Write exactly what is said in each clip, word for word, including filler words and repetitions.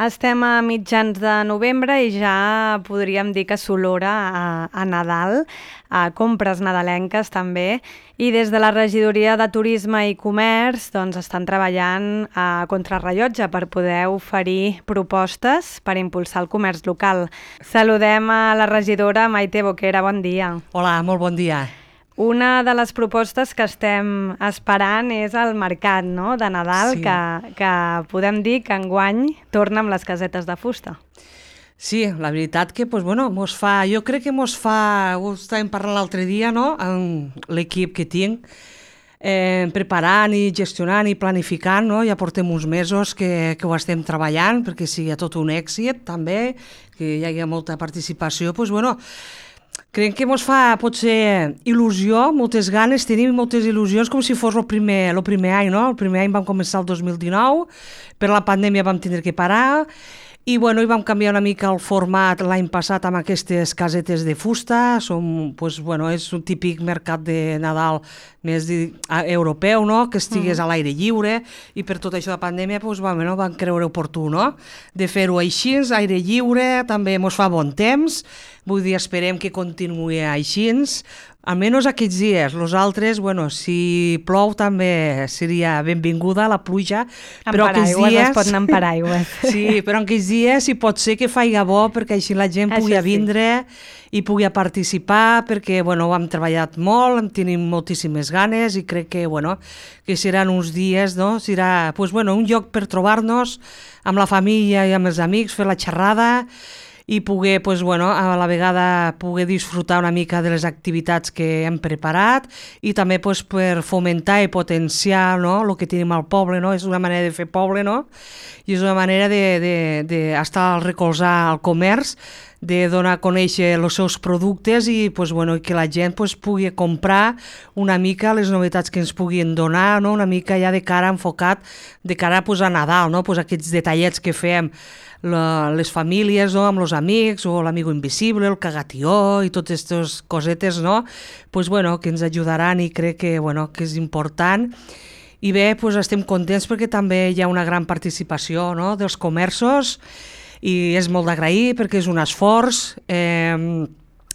Estem a mitjans de novembre i ja podríem dir que s'olora a, a Nadal, a compres nadalenques també, i des de la Regidoria de Turisme i Comerç doncs, estan treballant a contrarrellotge per poder oferir propostes per impulsar el comerç local. Saludem a la regidora Maite Boquera, bon dia. Hola, molt bon dia. Una de les propostes que estem esperant és el mercat, no?, de Nadal, sí. que, que podem dir que enguany torna amb les casetes de fusta. Sí, la veritat que pues, bueno, mos fa, jo crec que mos fa, ho estàvem parlant l'altre dia, no?, amb l'equip que tinc, eh, preparant i gestionant i planificant, no?, ja portem uns mesos que, que ho estem treballant perquè sigui tot un èxit també, que hi hagi molta participació, pues, bueno, crec que ens fa, potser, il·lusió, moltes ganes, tenim moltes il·lusions, com si fos el primer, el primer any, no? El primer any vam començar el dos mil dinou, per la pandèmia vam tindre que parar, i, bueno, i vam canviar una mica el format l'any passat amb aquestes casetes de fusta. Som, pues, bueno, és un típic mercat de Nadal més de, a, europeu, no?, que estigués mm. a l'aire lliure, i per tot això de pandèmia pues, vam, no, vam creure oportú, no?, de fer-ho així, aire lliure, també ens fa bon temps, vull dir, esperem que continuï així, almenys aquests dies. Los altres, bueno, si plou també seria benvinguda la pluja, en però aquests dies... es pot anar en paraigües. Sí, però aquests dies si pot ser que faiga bo, perquè així la gent pugui sí. vindre i pugui participar, perquè, bueno, ho hem treballat molt, en tenim moltíssimes ganes i crec que, bueno, que seran uns dies, no?, serà, pues, bueno, un lloc per trobar-nos amb la família i amb els amics, fer la xerrada, i poder, pues, bueno, a la vegada poder disfrutar una mica de les activitats que hem preparat i també pues, per fomentar i potenciar, no?, el que tenim al poble, no? És una manera de fer poble, no?, i és una manera d'estar al recolzar el comerç, de donar a conèixer els seus productes i pues, bueno, que la gent pues, pugui comprar una mica les novetats que ens puguin donar, no?, una mica ja de cara enfocat, de cara pues, a Nadal, no?, pues, aquests detallets que fem la, les famílies, no?, amb els amics, o l'amigo invisible, el cagatió i totes aquestes cosetes, no?, pues, bueno, que ens ajudaran i crec que, bueno, que és important. I bé, pues, estem contents perquè també hi ha una gran participació, no?, dels comerços, i és molt d'agrair perquè és un esforç, eh,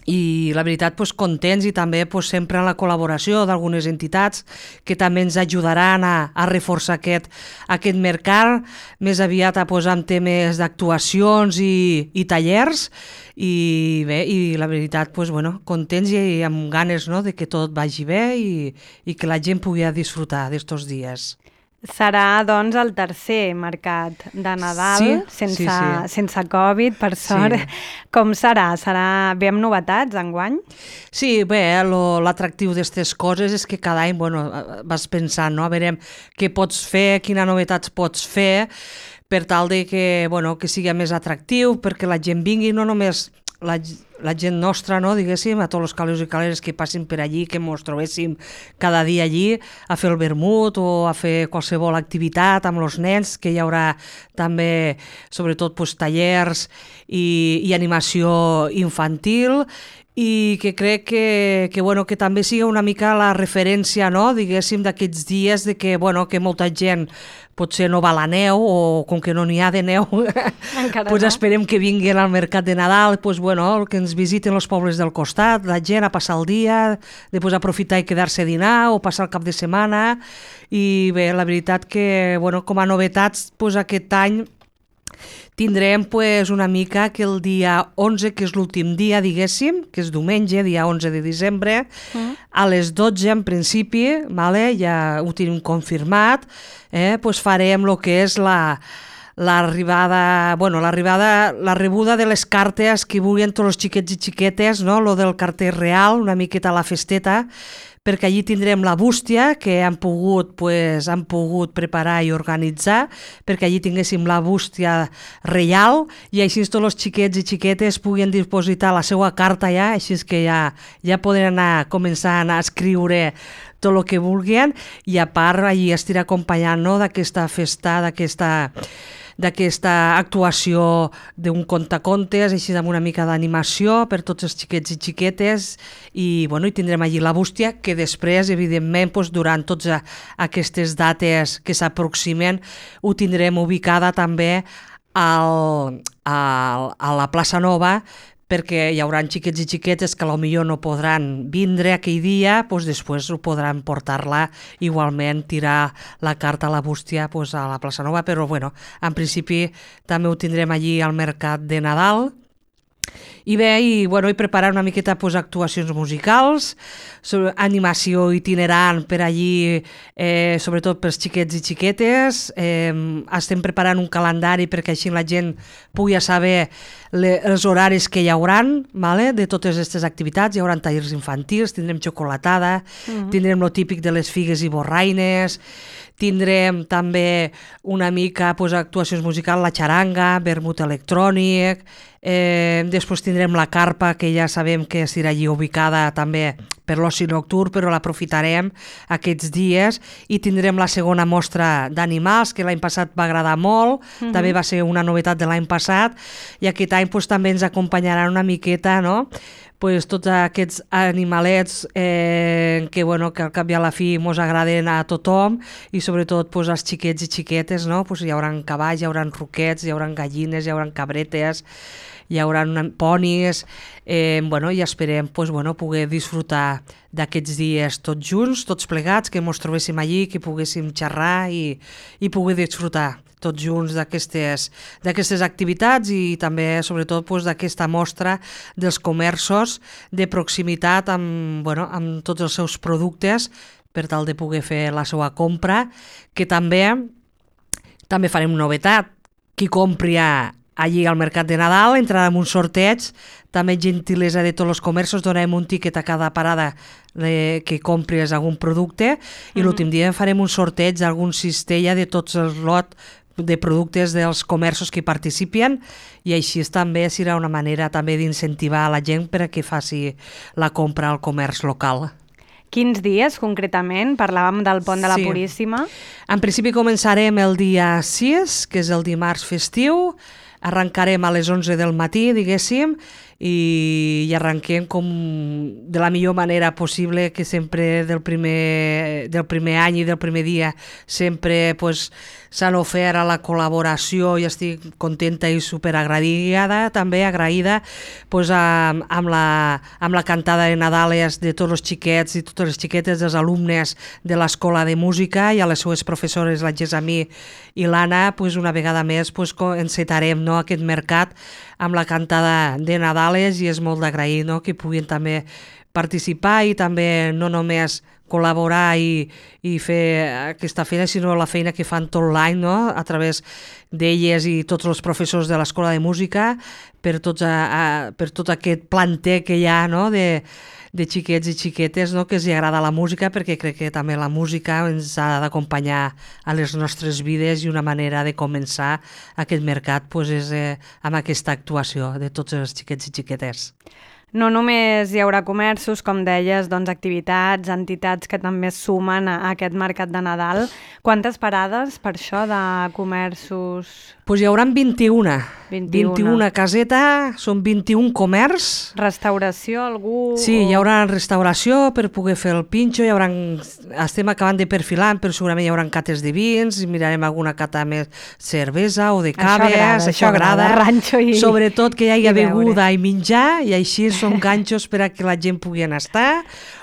i la veritat pues, contents i també pues, sempre en la col·laboració d'algunes entitats que també ens ajudaran a, a reforçar aquest, aquest mercat, més aviat a posar en temes d'actuacions i, i tallers, i bé, i la veritat pues, bueno, contents i, i amb ganes, no?, de que tot vagi bé i, i que la gent pugui disfrutar d'estos dies. Serà, doncs, el tercer mercat de Nadal, sí, sense, sí, sí. sense Covid, per sort. Sí. Com serà? Serà bé amb novetats enguany? Sí, bé, l'atractiu d'aquestes coses és que cada any bueno, vas pensant, no? A veure què pots fer, quina novetats pots fer, per tal de que, bueno, que sigui més atractiu, perquè la gent vingui, no només la, la gent nostra, no, diguéssim, a tots els calés i caleres que passin per allí, que ens trobéssim cada dia allí a fer el vermut o a fer qualsevol activitat amb els nens, que hi haurà també, sobretot, pues, tallers i, i animació infantil, i que crec que, que, bueno, que també sigui una mica la referència, no?, diguéssim, d'aquests dies de que, bueno, que molta gent potser no va a la neu o com que no n'hi ha de neu, pues no. Esperem que vinguin al mercat de Nadal, pues, bueno, que ens visiten els pobles del costat, la gent a passar el dia, després aprofitar i quedar-se a dinar o passar el cap de setmana, i bé, la veritat que, bueno, com a novetats, pues, aquest any tindrem pues, una mica que el dia onze, que és l'últim dia, diguéssim, que és diumenge, dia onze de desembre, mm. a les dotze en principi, vale, ja ho tenim confirmat, eh, pues farem el que és la l'arribada, bueno, l'arribada, la rebuda de les cartes que vulguin tots els xiquets i xiquetes, no? Lo del carter real, una miqueta a la festeta, perquè allí tindrem la bústia que han pogut, pues, han pogut preparar i organitzar, perquè allí tinguéssim la bústia reial i així tots els xiquets i xiquetes puguin dipositar la seva carta ja, així que ja, ja poden anar començant a escriure tot el que vulguin, i a part allí estirà acompanyant, no?, d'aquesta festa, d'aquesta d'aquesta actuació d'un contacontes, així amb una mica d'animació per tots els xiquets i xiquetes, i, bueno, i tindrem allí la bústia, que després, evidentment, doncs, durant totes aquestes dates que s'aproximen, ho tindrem ubicada també al, al, a la plaça Nova, perquè hi haurà xiquets i xiquetes que potser no podran vindre aquell dia, doncs després ho podran portar-la igualment, tirar la carta a la bústia doncs a la plaça Nova, però bueno, en principi també ho tindrem allí al mercat de Nadal. I bé, i, bueno, i preparar una miqueta pues, actuacions musicals, sobre, animació itinerant per allí, eh, sobretot pels xiquets i xiquetes. Eh, estem preparant un calendari perquè així la gent pugui saber le, els horaris que hi hauran, vale? De totes aquestes activitats. Hi haurà tallers infantils, tindrem xocolatada, uh-huh. tindrem lo típic de les figues i borraines, tindrem també una mica pues, actuacions musicals, la xaranga, vermut electrònic, eh, després tindrem la carpa, que ja sabem que estarà allí ubicada també per l'oci nocturn, però l'aprofitarem aquests dies, i tindrem la segona mostra d'animals, que l'any passat va agradar molt, uh-huh. també va ser una novetat de l'any passat, i aquest any pues, també ens acompanyaran una miqueta, no?, pues, tots aquests animalets eh, que, bueno, que al cap i a la fi mos agraden a tothom, i sobretot pues, als xiquets i xiquetes, no? Pues, hi haurà cavalls, hi haurà roquets, hi haurà gallines, hi haurà cabretes, hi haurà ponis, eh, bueno, i esperem pues, bueno, poder disfrutar d'aquests dies tots junts, tots plegats, que mos trobéssim allí, que poguéssim xerrar i, i poder disfrutar tots junts d'aquestes activitats, i també, sobretot, pues, d'aquesta mostra dels comerços de proximitat amb, bueno, amb tots els seus productes, per tal de poder fer la seva compra, que també també farem novetat. Qui compri allí al Mercat de Nadal entrarà en un sorteig, també gentilesa de tots els comerços, donarem un tiquet a cada parada de, que compris algun producte, i mm-hmm. l'últim dia farem un sorteig d'algun cistella de tots els lots de productes dels comerços que hi participen, i així també serà una manera també d'incentivar la gent per a que faci la compra al comerç local. Quins dies concretament? Parlàvem del Pont de la sí. Puríssima. En principi començarem el dia sis, que és el dimarts festiu, arrencarem a les onze del matí, diguéssim, i, i arrenquem com de la millor manera possible, que sempre del primer, del primer any i del primer dia sempre pues, s'han ofert a la col·laboració, i estic contenta i superagraïda, també agraïda pues, amb, amb, la, amb la cantada de Nadales de tots els xiquets i totes les xiquetes dels alumnes de l'Escola de Música, i a les seues professores, la Gessamí i l'Anna, pues, una vegada més pues, encetarem, no, aquest mercat amb la cantada de Nadales, i és molt d'agrair, no?, que puguin també participar i també no només col·laborar i, i fer aquesta feina, sinó la feina que fan tot l'any, no?, a través d'elles i tots els professors de l'Escola de Música, per, tots a, a, per tot aquest planter que hi ha, no?, de, de xiquets i xiquetes, no?, que els agrada la música, perquè crec que també la música ens ha d'acompanyar a les nostres vides, i una manera de començar aquest mercat pues, és eh, amb aquesta actuació de tots els xiquets i xiquetes. No només hi haurà comerços, com deies, doncs activitats, entitats que també es sumen a aquest mercat de Nadal. Quantes parades per això de comerços? Pues hi haurà vint-i-una. vint-i-una. vint-i-una caseta, són vint-i-un comerç. Restauració, algú? Sí, hi haurà restauració per poder fer el pinxo, hi haurà... estem acabant de perfilar, però segurament hi haurà cates de vins, mirarem alguna cata més cervesa o de caves, això agrada, això agrada, ranxo i... sobretot que hi hagi beguda i menjar, i així són ganxos per a que la gent pugui estar,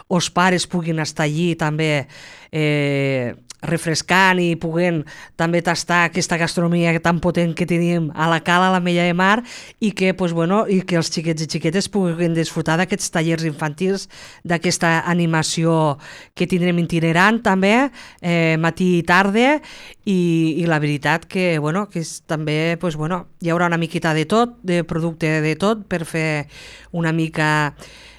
els pares puguin estar allí també eh, refrescant i puguent també tastar aquesta gastronomia tan potent que tenim a la Cala, a la Mella de Mar, i que, pues, bueno, i que els xiquets i xiquetes puguin disfrutar d'aquests tallers infantils, d'aquesta animació que tindrem itinerant també, eh, matí i tarda, i, i la veritat que, bueno, que és, també pues, bueno, hi haurà una miqueta de tot, de producte de tot, per fer una mica...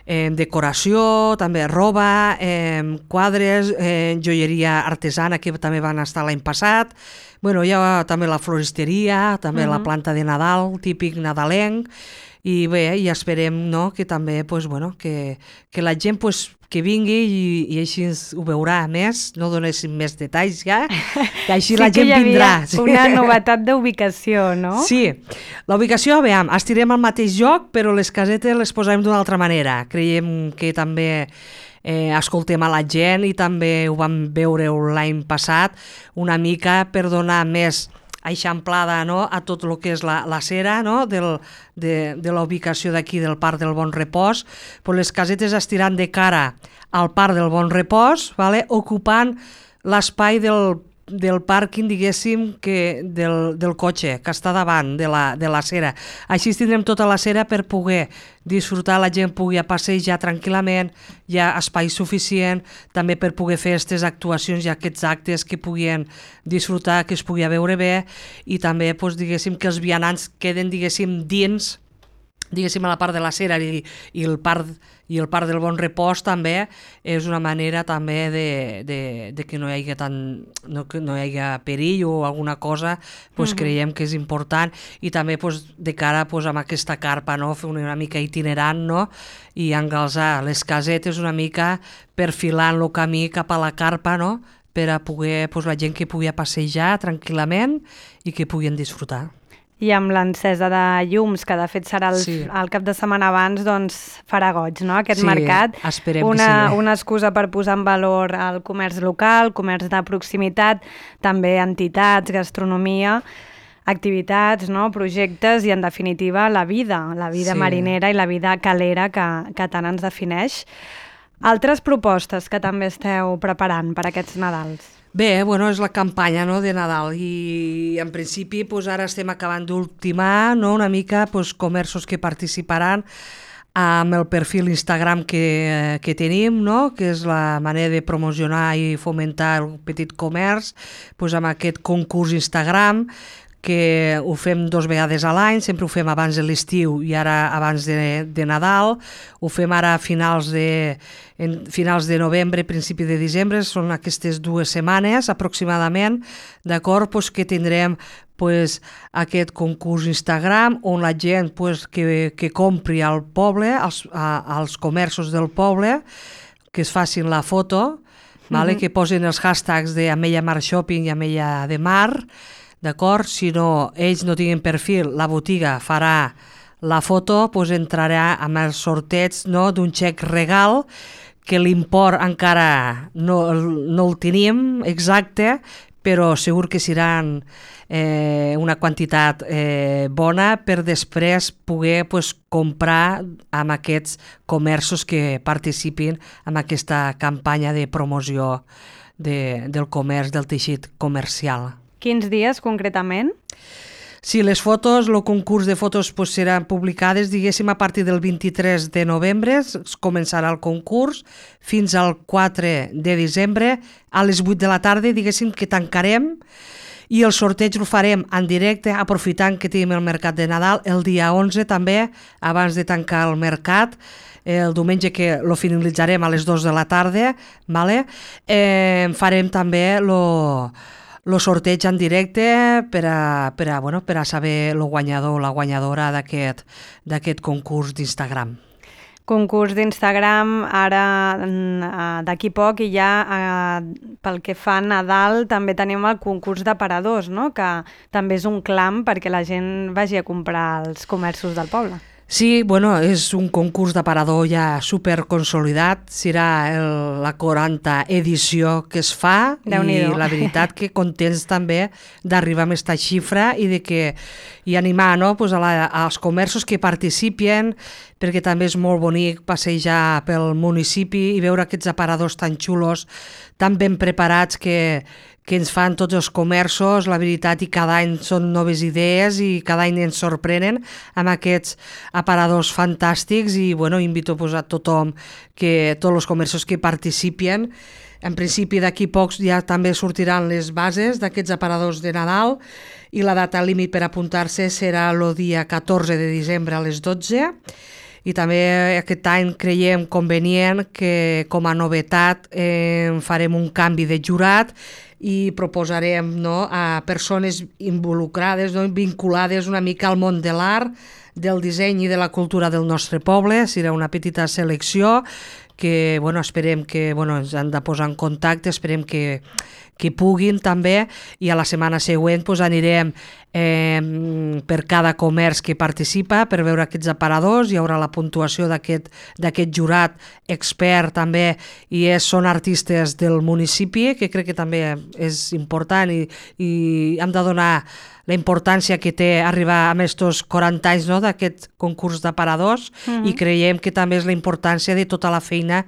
Eh, decoració, també roba, eh, quadres, eh, joieria artesana, que també van estar l'any passat. Bueno, hi ha també la floristeria, també uh-huh. la planta de Nadal, típic nadalenc, i bé, i esperem, no, que també pues, bueno, que, que la gent pues, que vingui i, i així ho veurà més, no donéssim més detalls ja, que així sí la gent vindrà. Sí, una novetat d'ubicació, no? Sí, la ubicació, veiem, estirem al mateix lloc, però les casetes les posarem d'una altra manera. Creiem que també eh, escoltem a la gent, i també ho vam veure l'any passat, una mica per donar més eixamplada, no?, a tot el que és la, la cera, no?, del, de, de la ubicació d'aquí del Parc del Bon Repòs. Pues les casetes estiran de cara al Parc del Bon Repòs, vale?, ocupant l'espai del del pàrquing, diguéssim, que del, del cotxe, que està davant de la, de la cera. Així tindrem tota la cera per poder disfrutar, la gent pugui passejar tranquil·lament, hi ha espai suficient, també per poder fer aquestes actuacions i aquests actes que puguin disfrutar, que es pugui veure bé, i també, doncs, diguéssim, que els vianants queden, diguéssim, dins, diguéssim, a la part de la cera, i, i el parc i el Parc del Bon Repòs també és una manera també de, de, de que no hi hagi tant, no, que no hi hagi perill o alguna cosa, pues, mm-hmm. creiem que és important, i també pues, de cara pues, amb aquesta carpa, no? Fer una mica itinerant, no? I engalzar les casetes una mica perfilant el camí cap a la carpa, no? Per a poder, pues, la gent que pugui passejar tranquil·lament i que puguin disfrutar. I amb l'encesa de llums, que de fet serà el, sí. el cap de setmana abans, doncs farà goig, no?, aquest sí, mercat. Esperem una, que sí. Una excusa per posar en valor el comerç local, comerç de proximitat, també entitats, gastronomia, activitats, no?, projectes i, en definitiva, la vida, la vida sí. marinera i la vida calera que, que tant ens defineix. Altres propostes que també esteu preparant per aquests Nadals? Bé, bueno, és la campanya, no?, de Nadal, i en principi pues, ara estem acabant d'ultimar, no?, una mica pues, comerços que participaran amb el perfil Instagram que, que tenim, no?, que és la manera de promocionar i fomentar el petit comerç, pues, amb aquest concurs Instagram, que ho fem dos vegades a l'any, sempre ho fem abans de l'estiu i ara abans de, de Nadal, ho fem ara a finals de, en finals de novembre, principi de desembre, són aquestes dues setmanes aproximadament, d'acord, pues, que tindrem pues, aquest concurs Instagram on la gent pues, que, que compri al poble, als, a, als comerços del poble, que es facin la foto, vale? Mm-hmm. Que posin els hashtags de Ametlla Mar Shopping i Ametlla de Mar, d'acord? Si no, ells no tinguin perfil, la botiga farà la foto, doncs entrarà amb el sorteig, no?, d'un xec regal, que l'import encara no, no el tenim exacte, però segur que seran eh, una quantitat eh, bona per després poder pues, comprar amb aquests comerços que participin en aquesta campanya de promoció de, del comerç, del teixit comercial. Quins dies, concretament? Sí, les fotos, el concurs de fotos pues, seran publicades, diguéssim, a partir del vint-i-tres de novembre, començarà el concurs, fins al quatre de desembre, a les vuit de la tarda, diguéssim, que tancarem, i el sorteig el farem en directe, aprofitant que tenim el mercat de Nadal, el dia onze també, abans de tancar el mercat, el diumenge que lo finalitzarem a les dues de la tarda, vale? eh, farem també lo... el sorteig en directe per a, per a, bueno, per a saber el guanyador o la guanyadora d'aquest d'aquest concurs d'Instagram. Concurs d'Instagram, ara d'aquí poc, i ja eh, pel que fa a Nadal també tenim el concurs d'aparadors, no?, que també és un clam perquè la gent vagi a comprar als comerços del poble. Sí, bueno, és un concurs d'aparador ja superconsolidat, serà el, la quaranta edició que es fa, i la veritat que contents també d'arribar a aquesta xifra i de que i animar, no?, pues a la, als comerços que participin, perquè també és molt bonic passejar pel municipi i veure aquests aparadors tan xulos, tan ben preparats que, que ens fan tots els comerços, la veritat, i cada any són noves idees i cada any ens sorprenen amb aquests aparadors fantàstics, i bueno, invito pues, a tothom, que tots els comerços que participin. En principi d'aquí pocs ja també sortiran les bases d'aquests aparadors de Nadal, i la data límit per apuntar-se serà el dia catorze de desembre a les dotze, i també aquest any creiem convenient que com a novetat eh, farem un canvi de jurat i proposarem, no, a persones involucrades, no, vinculades una mica al món de l'art, del disseny i de la cultura del nostre poble. Serà una petita selecció que bueno, esperem que bueno, ens han de posar en contacte, esperem que, que puguin també, i a la setmana següent pues, anirem eh, per cada comerç que participa, per veure aquests aparadors. Hi haurà la puntuació d'aquest d'aquest jurat expert també, i és, són artistes del municipi, que crec que també és important, i, i hem de donar la importància que té arribar a aquests quaranta anys, no?, d'aquest concurs d'aparadors, mm-hmm. i creiem que també és la importància de tota la feina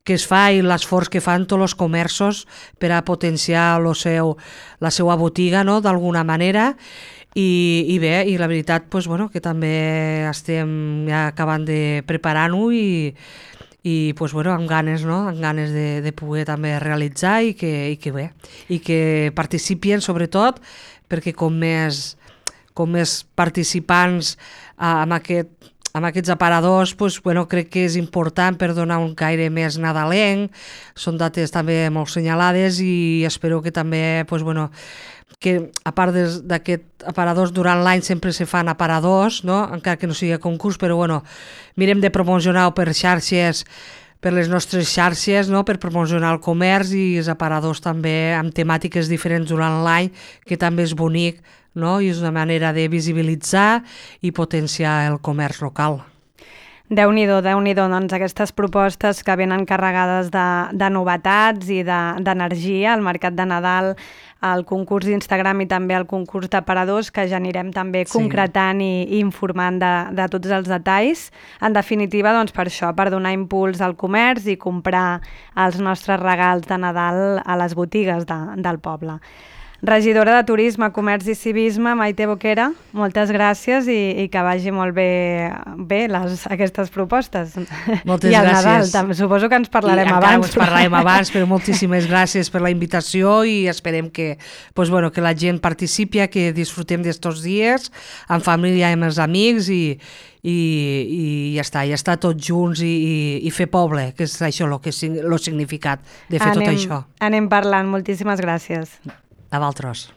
que es fa i l'esforç que fan tots els comerços per a potenciar lo seu, la seva botiga, no?, d'alguna manera. I, i bé, i la veritat, pues, bueno, que també estem ja acabant de preparar-ho i, i pues, bueno, amb ganes, no?, amb ganes de, de poder també realitzar i que, i que bé, i que participin sobretot, perquè com més, com més participants uh, amb, aquest, amb aquests aparadors, pues, bueno, crec que és important per donar un caire més nadalenc. Són dates també molt senyalades i espero que també, pues, bueno, que a part d'aquests aparadors durant l'any sempre se fan aparadors, no?, encara que no sigui concurs, però bueno, mirem de promocionar-ho per xarxes, per les nostres xarxes, no?, per promocionar el comerç, i els aparadors també amb temàtiques diferents durant l'any, que també és bonic, no?, i és una manera de visibilitzar i potenciar el comerç local. Déu-n'hi-do, Déu-n'hi-do, doncs aquestes propostes que venen carregades de, de novetats i d'energia, de, el Mercat de Nadal, el concurs d'Instagram i també el concurs d'aparadors, que ja anirem també sí. concretant i, i informant de, de tots els detalls. En definitiva, doncs per això, per donar impuls al comerç i comprar els nostres regals de Nadal a les botigues de, del poble. Regidora de Turisme, Comerç i Civisme, Maite Boquera, moltes gràcies i, i que vagi molt bé, bé les, aquestes propostes. Moltes I al gràcies. Nadal, també. Suposo que ens parlarem I abans. Ens parlarem abans, però moltíssimes gràcies per la invitació i esperem que, pues, bueno, que la gent participi, que disfrutem d'estos dies amb família i amb els amics i, i, i ja està, ja està tots junts i, i, i fer poble, que és això el que, significat de fer anem, tot això. Anem parlant, moltíssimes gràcies. A vosaltres.